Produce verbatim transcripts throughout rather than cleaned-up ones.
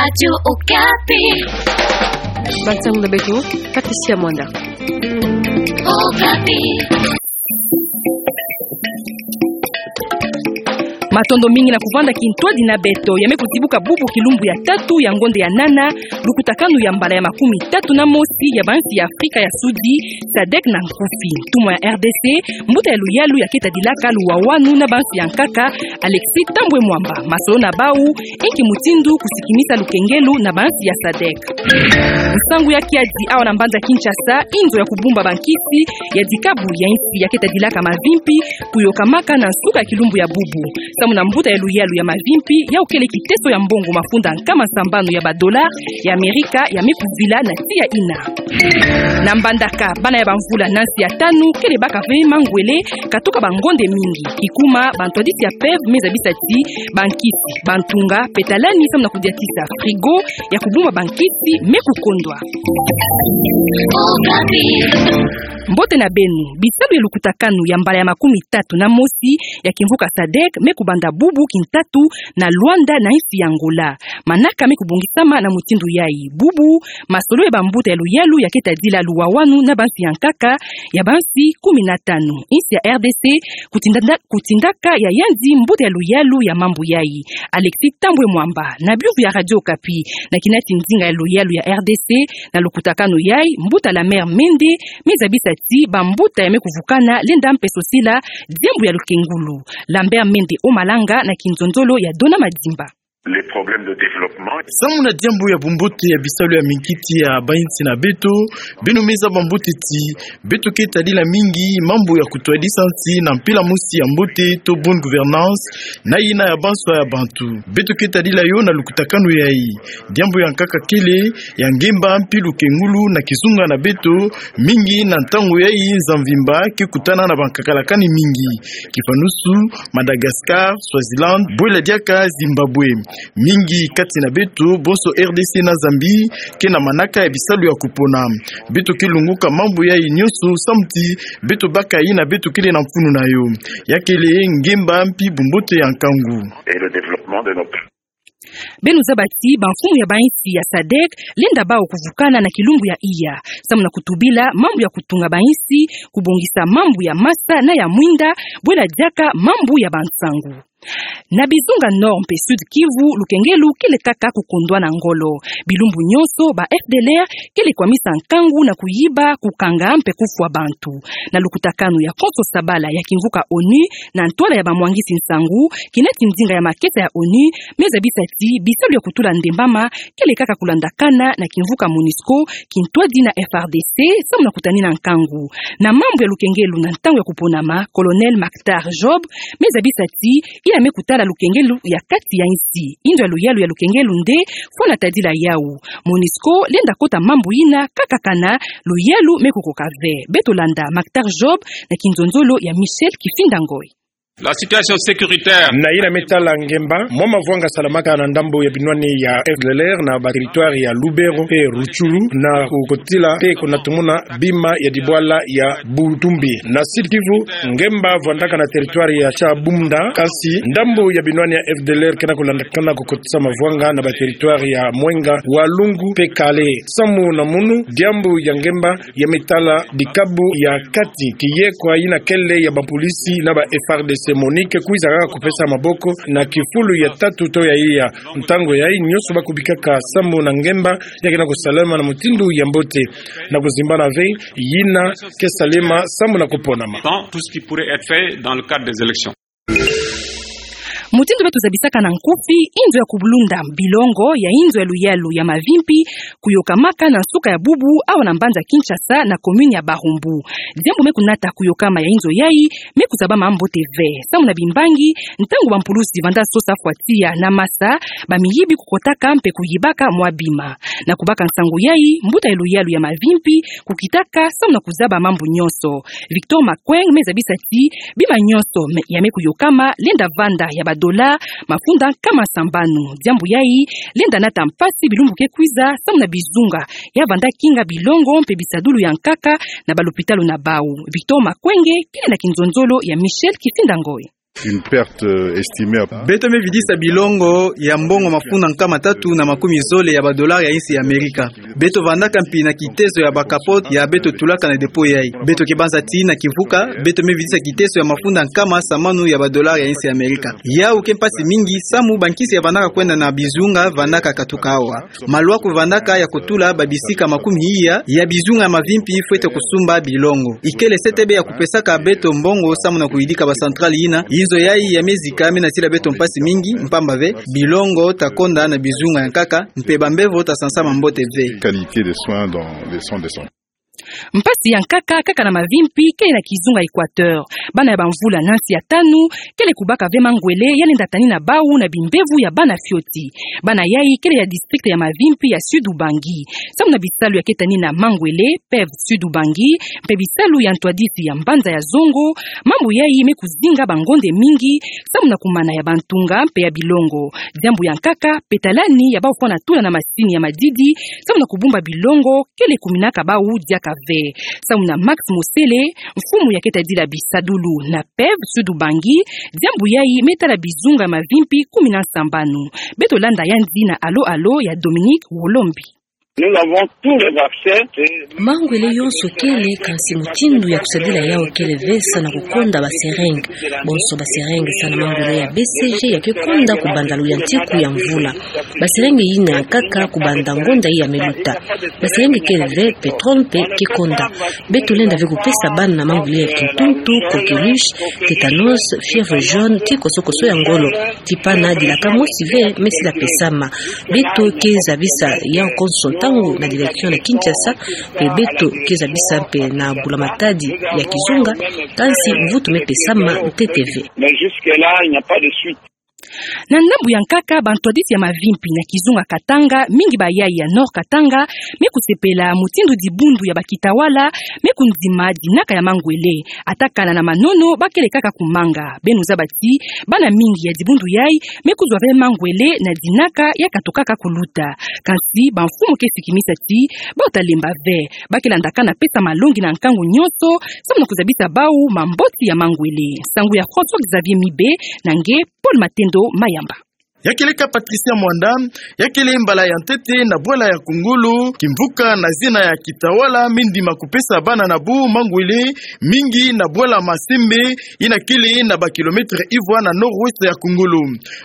Radio Okapi. Bansangu na beto, Patricia Mwanda. Okapi. Matondo mingi na kuvanda kintwadi na beto. Ya me kuzibuka bubu kilumbu ya tatu ya ngonde ya nana, lukutakanu ya mbala ya makumi tatu na mosi ya bansi ya Afrika ya Sudi, sadek na nkufi. Ntumwa ya R D C, mbuta ya luyalu ya keta dilaka luwawanu na bansi ya nkaka, Alexis Thambwe Mwamba, masolo na bau, inki mutindu kusikimisa lukengelu na bansi ya sadek. Nsangu ya kiadi awa na mbanza Kinshasa, inzo ya kubumba bankisi ya dikabu ya insi ya keta dilaka mavimpi, kuyokamaka na nsuka ya kilumbu ya bubu. Samu na mbuta ya luyalu ya mavimpi, yau kele kiteso ya mbongo mafunda nkama sambanu ya ba dollars ya Amerika ya me kuvila na tiya ina. Na mbandaka, bana ya bamvula na nsi ya tanu kele baka ve mangwele, katoka bangonde mingi. Kikuma, bantwadisi ya P E V me zabisa ti bankisi, bantunga, mpe talani samu na kudiatisa frigo ya kubumba bankisi me kukondwa. Mbote na beno. Bisalu ya lukutakanu ya mbala ya makumi tatu na mosi ya kimvuka sadek me kubanda bubu kintatu na Luanda na insi ya Angola. Manaka me kubongisama na mutindu yai. Bubu, masolo ya bambuta ya luyalu ya keta dila luwawanu na bansi ya nkaka ya bansi kumi na tanu. Insi ya R D C kutindanda-, kutindaka ya yandi mbuta ya luyalu ya mambu yai, Alexis Thambwe Mwamba, na biuvu ya Radio Okapi, na kinati nzinga ya luyalu ya R D C, na lukutakanu yai, mbuta Lambert Mende me zabisa ti bambuta ya me kuvukana lenda mpe sosila diambu ya lukengulu. Lambert Mende Omalanga na kinzonzolo ya Dona Madimba. Les problèmes de développement. Samu na diambu ya bumbote ya bisalu ya minkiti ya bainsi na beto, beno me zaba mbote ti beto keta dila mingi mambu ya kutwadisa nsi na mpila mosi ya mbote to bonne gouvernance, na yina ya banswa ya bantu. Beto keta dila yo na lukutakanu yai. Diambu ya nkaka kele ya ngemba mpi lukengulu na kizunga na beto, mingi na ntangu yai nza mvimba ke kutana na bankakalakani mingi. Kifanusu, Madagascar, Swaziland, bwela diaka Zimbabwe. Mingi kati na beto, bonso R D C na Zambie, ke na manaka ya bisalu ya kupona. Beto ke lunguka mambu yai nyonso samu ti beto baka yina beto kele na mfunu na yo. Ya kele ngemba mpi bumbote ya nkangu. Et le développement de notre Beno zaba ti bamfumu ya bainsi ya sadek lenda bau kuvukana na kilumbu ya iya, samu na kutubila mambu ya kutunga bainsi, kubongisa mambu ya masa na ya mwinda, bwela diaka mambu ya bansangu. Na bizunga Nord mpe Sud Kivu, lukengelu kele kaka kukondwa na ngolo. Bilumbu nyonso, ba F D L R kele kwamisa nkangu na kuyiba, kukanga mpe kufwa bantu. Na lukutakanu ya Konso Sabala ya kimvuka ONU, na ntwala ya bamwangisi nsangu, kinati nzinga ya makesa ya ONU me zabisa ti bisalu ya kutula ndembama kele kaka kulandakana na kimvuka MONUSCO, kintwadi na F R D C, samu na kutanina nkangu. Na mambu ya lukengelu na ntangu ya kuponama, Colonel Mactar Job me zabisa ti yina me kutala lukengelu ya kati ya insi. Inzo ya luyalu ya lukengelu nde fwana tadila yau. MONUSCO lenda kota mambu yina kaka kana luyalu me kukoka ve. Beto landa Mactar Job na kinzonzolo ya Michel Kifinda Ngoy. La situation sécuritaire. Na yina me tala ngemba, mwa mavwanga salamaka na ndambo ya binwani ya F D L R na ba territoire ya Lubero mpe Rutshuru, na kukotila mpe kunatumuna bima ya dibwala ya Butumbi. Na Sud Kivu, ngemba vwandaka na territoire ya Shabunda, kasi ndambo ya binwani ya F D L R ke na kulandakana kukotisa mavwanga na ba territoire ya Mwenga, Walungu mpe Kale. Samu na munu, diambu ya ngemba ya me tala dikabu ya kati, kiye kwa yina kele ya bapolisi na ba F R D C. MONUC kwiza kaka kupesa maboko na kifulu ya tatu to ya iya. Ntangu yai nyonso ba kubikaka samu na ngemba ya ke na kusalama na mutindu ya mbote, na kuzimbana ve yina ke salama samu na kuponama. Dans tout ce qui pourrait être fait dans le cadre des élections. Mutindu beto zabisaka na nkufi, inzo ya kubulunda bilongo ya inzo ya luyalu ya mavimpi kuyokamaka na nsuka ya bubu awa na mbanza Kinshasa na commune ya Barumbu. Diambu me kunata kuyokama ya inzo yai me kuzabama mbote ve. Samu na bimbangi, ntangu bampulusi vanda sosa fwa tiya na masa, bamiyibi kukotaka mpe kuyibaka mwa bima. Na kubaka nsangu yai, mbuta ya luyalu ya mavimpi kukitaka samu na kuzaba mambu nyonso. Victor Makweng me zabisa ti bima nyonso me, ya me kuyokama lenda vanda ya ba dollars mafunda nkama sambanu. Diambu yai lenda nata mpasi bilumbu ke kwiza samu na bizunga ya vanda kinga bilongo mpe bisadulu ya nkaka na balopitalo na bau. Victor Makweng kele na kinzonzolo ya Michel Kifinda Ngoy. Une perte, euh, estimée à... Beto me vidisa bilongo ya mbongo mafunda nkama tatu na makumi zole ya ba dollars ya insi ya Amerika. Beto vandaka mpi na kitezo ya ba capotes ya beto tulaka na dépôt yai. Beto ke banza ti na kimvuka, beto me vidisa kitezo ya mafunda nkama samanu ya ba dollars ya insi ya Amerika. Yau ke mpasi mingi, samu bankisi ya vandaka kwenda na bizunga vandaka katuka awa. Maluaku vandaka ya kutula ba bisika makumi iya ya bizunga ya mavimpi fwete kusumba bilongo. Ikele se te bê ya kupesaka beto mbongo samu na kuyidika ba centrale yina. Inzo yai ya me zika me nasila beto mpasi mingi, mpamba ve bilongo ta konda na bizunga ya nkaka, mpe bambevo ta sansama mbote ve. Qualité de soins dans les centres de santé. Mpasi ya nkaka, kaka na mavimpi, kele na kizunga Équateur. Bana ya bamvula na nsi ya tanu kele kubaka ve mangwele ya lenda tanina bau na bimbevo ya bana fioti. Bana yai kele ya district ya mavimpi ya Sud-Ubangi. Samu na bisalu ya ke tanina mangwele, PEV Sud-Ubangi, mpe bisalu ya ntwadisi ya mbanza ya zongo, mambu yai me kuzinga bangonde mingi, samu na kumana ya bantunga mpe ya bilongo. Diambu ya nkaka, petalani ya bau fwana tula na masini ya madidi samu na kubumba bilongo, kele kuminaka bau diaka ve. Samu na Max Mosele, mfumu ya ke tadila bisadulu na PEV Sud-Ubangi, diambu yai me tala bizunga ya mavimpi kumi na nsambanu. Beto landa yandi na alo-alo ya Dominique Wolombi. Nous avons tous les vaccins. Mangwele yonso kele, kansi mutindu ya kusadila yau kele ve, sa na kukonda ba seringues. Bonso ba seringues sa na mangwele ya B C G ya ke konda kubanda luyantiku ya mvula. Ba seringues yina ya nkaka kubanda ngonda ya me luta. Ba seringues kele ve, pétrole mpe ke konda. Beto lenda ve kupesa bana mangwele ya kintuntu, coqueluche, tétanos, fièvre jaune, ti koso-koso ya ngolo. Ti pana dilaka mosi ve me sila pesama. Beto ke zabisa yau konso ntangu na direction na Kinshasa, mpe beto ke zabisa mpe na mbula-matadi ya kizunga, kansi mvutu me pesama ntete ve. Mais jusque-là, il n'y a pas de suite. Na ndambu ya nkaka, bantwadisi ya mavimpi na kizunga Katanga, mingi bayai ya Nord Katanga, me kusepela mutindu dibundu ya bakitawala me kundima dinaka ya mangwele. Ata kana na manono, ba kele kaka kumanga. Beno zaba ti bana mingi ya dibundu yai me kuzwa ve mangwele na dinaka ya katukaka kuluta. Kansi bamfumu ke sikimisa ti bau ta lemba ve. Ba ke landa kana pesa malongi na nkangu nyonso, samu na kuzabisa bau mambote ya mangwele. Nsangu ya François Xavier Mibe, na nge Paul Matendo Mayamba. Ya kele kâ Patricia Mwanda, ya kele mbala ya ntete na bwala ya Kongolo, kimvuka na zina ya kitawala me ndima kupesa bana na bau mangwele, mingi na bwala Masembe, yina kele na ba kilomètre ivwa na nord-ouest ya Kongolo.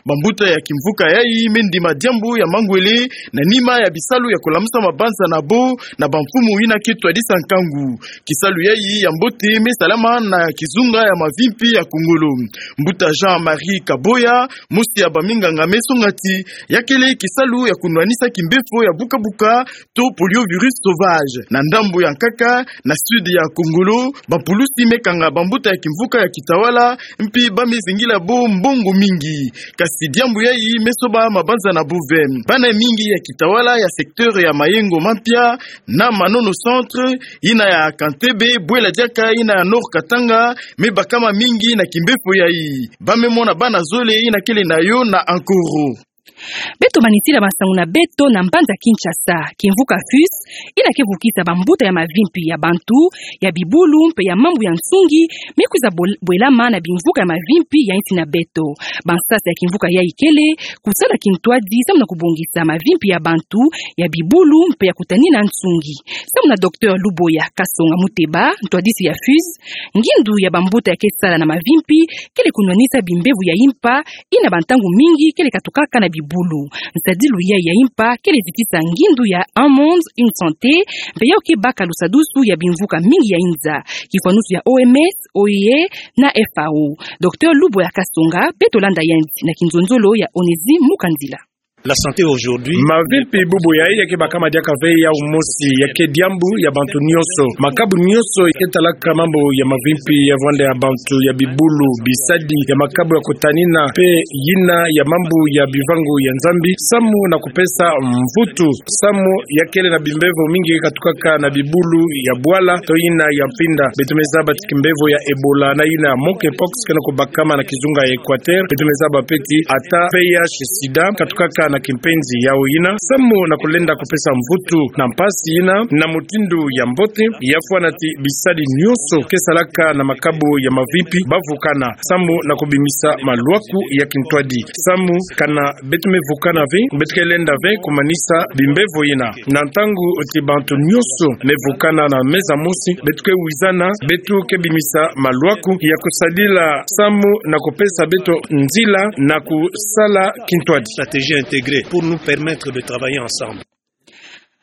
Bambuta ya kimvuka yai me ndima diambu ya mangwele, na nima ya bisalu ya kulamusa mabanza na bau na bamfumu yina ke twadisa nkangu. Kisalu yai ya mbote me salama na kizunga ya mavimpi ya Kongolo. Mbuta Jean-Marie Kaboya, mosi ya baminganga, me songa ti ya kele kisalu ya kunwanisa kimbefo ya buka-buka to poliovirus sauvage. Na ndambu ya nkaka, na sud ya Kongolo, bapulusi me kanga bambuta ya kimvuka ya kitawala, mpi ba me zingila bau mbongo mingi. Kansi diambu yai me soba mabanza na bau ve. Bana mingi ya kitawala ya secteur ya Mayengo Mampia na Manono Centre, yina ya Kantebe, bwela diaka yina ya Nord Katanga, me bakama mingi na kimbefo yai. Ba me mona bana zole yina kele na yo na Ankoro. Beto manisila bansangu na beto na mbanza Kinshasa. Kimvuka FUS, yina ke vukisa bambuta ya mavimpi ya bantu, ya bibulu mpe ya mambu ya nsungi, me kwiza bol-, bwelama na bimvuka ya mavimpi ya insi na beto. Bansasa ya kimvuka yai kele kusala kintwadi samu na kubongisa mavimpi ya bantu, ya bibulu mpe ya kutanina nsungi. Samu na Docteur Luboya Kasonga Muteba, ntwadisi ya FUS, ngindu ya bambuta ya ke sala na mavimpi kele kunwanisa bimbevo ya impa, yina bantangu mingi kele katukaka na bibulu. Nsadilu yai ya impa kele zitisa ngindu ya Un monde, une santé, mpe yau ke baka lusadusu ya bimvuka mingi ya inza. Kifwanusu ya O M S, O I E na F A O. Docteur Luboya Kasonga, beto landa yandi na kinzonzolo ya Onésime Mukandila. La santé aujourd'hui. Mavimpi bubu yai ya ke bakama diaka ve yau mosi, ya ke diambu ya bantu nyonso. Makabu nyonso ya ke talaka mambu ya mavimpi ya vwanda ya bantu, ya bibulu, bisadi, ya makabu ya kutanina, mpe yina ya mambu ya bivangu ya Nzambi, samu na kupesa mvutu, samu ya kele na bimbevo mingi katukaka na bibulu ya bwala to yina ya mpinda. Beto me zaba ti kimbevo ya Ebola na yina ya monkeypox ke na kubakama na kizunga ya Équateur. Beto me zaba mpe ti ata V I H sida katukaka na kimpenzi yao yina, samu na kulenda kupesa mvutu na mpasi yina na mutindu ya mbote, ya fwana ti bisadi nyonso ke salaka na makabu ya mavipi bavukana, samu na kubimisa maluaku ya kintwadi. Samu kana beto me vukana ve, beto ke lenda ve kumanisa bimbevo yina. Na ntangu ti bantu nyonso me vukana na meza mosi, beto ke wizana, beto ke bimisa maluaku ya kusadila samu na kupesa beto nzila na kusala kintwadi. Stratégie intégrée pour nous permettre de travailler ensemble.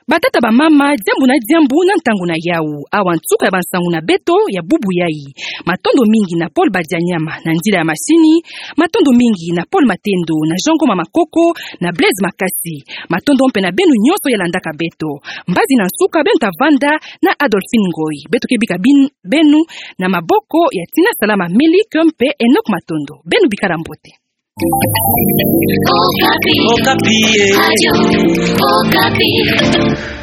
Batata, bamama, diambu na diambu na ntangu na yau. Awa nsuka ya bansangu na beto ya bubu yai. Matondo mingi na Paul Badianyama na nzila ya masini. Matondo mingi na Paul Matendo, na Jean Ngoma Makoko, na Blaise Makasi. Matondo mpe na beno nyonso ya landaka beto. Mbazi na nsuka beno ta vanda na Adolphine Ngoy. Beto ke bika bin-, beno na maboko ya Tina Salama Melik mpe Enoch Matondo. Beno bikala mbote. Okapi. Okapi, eh. Radio Okapi.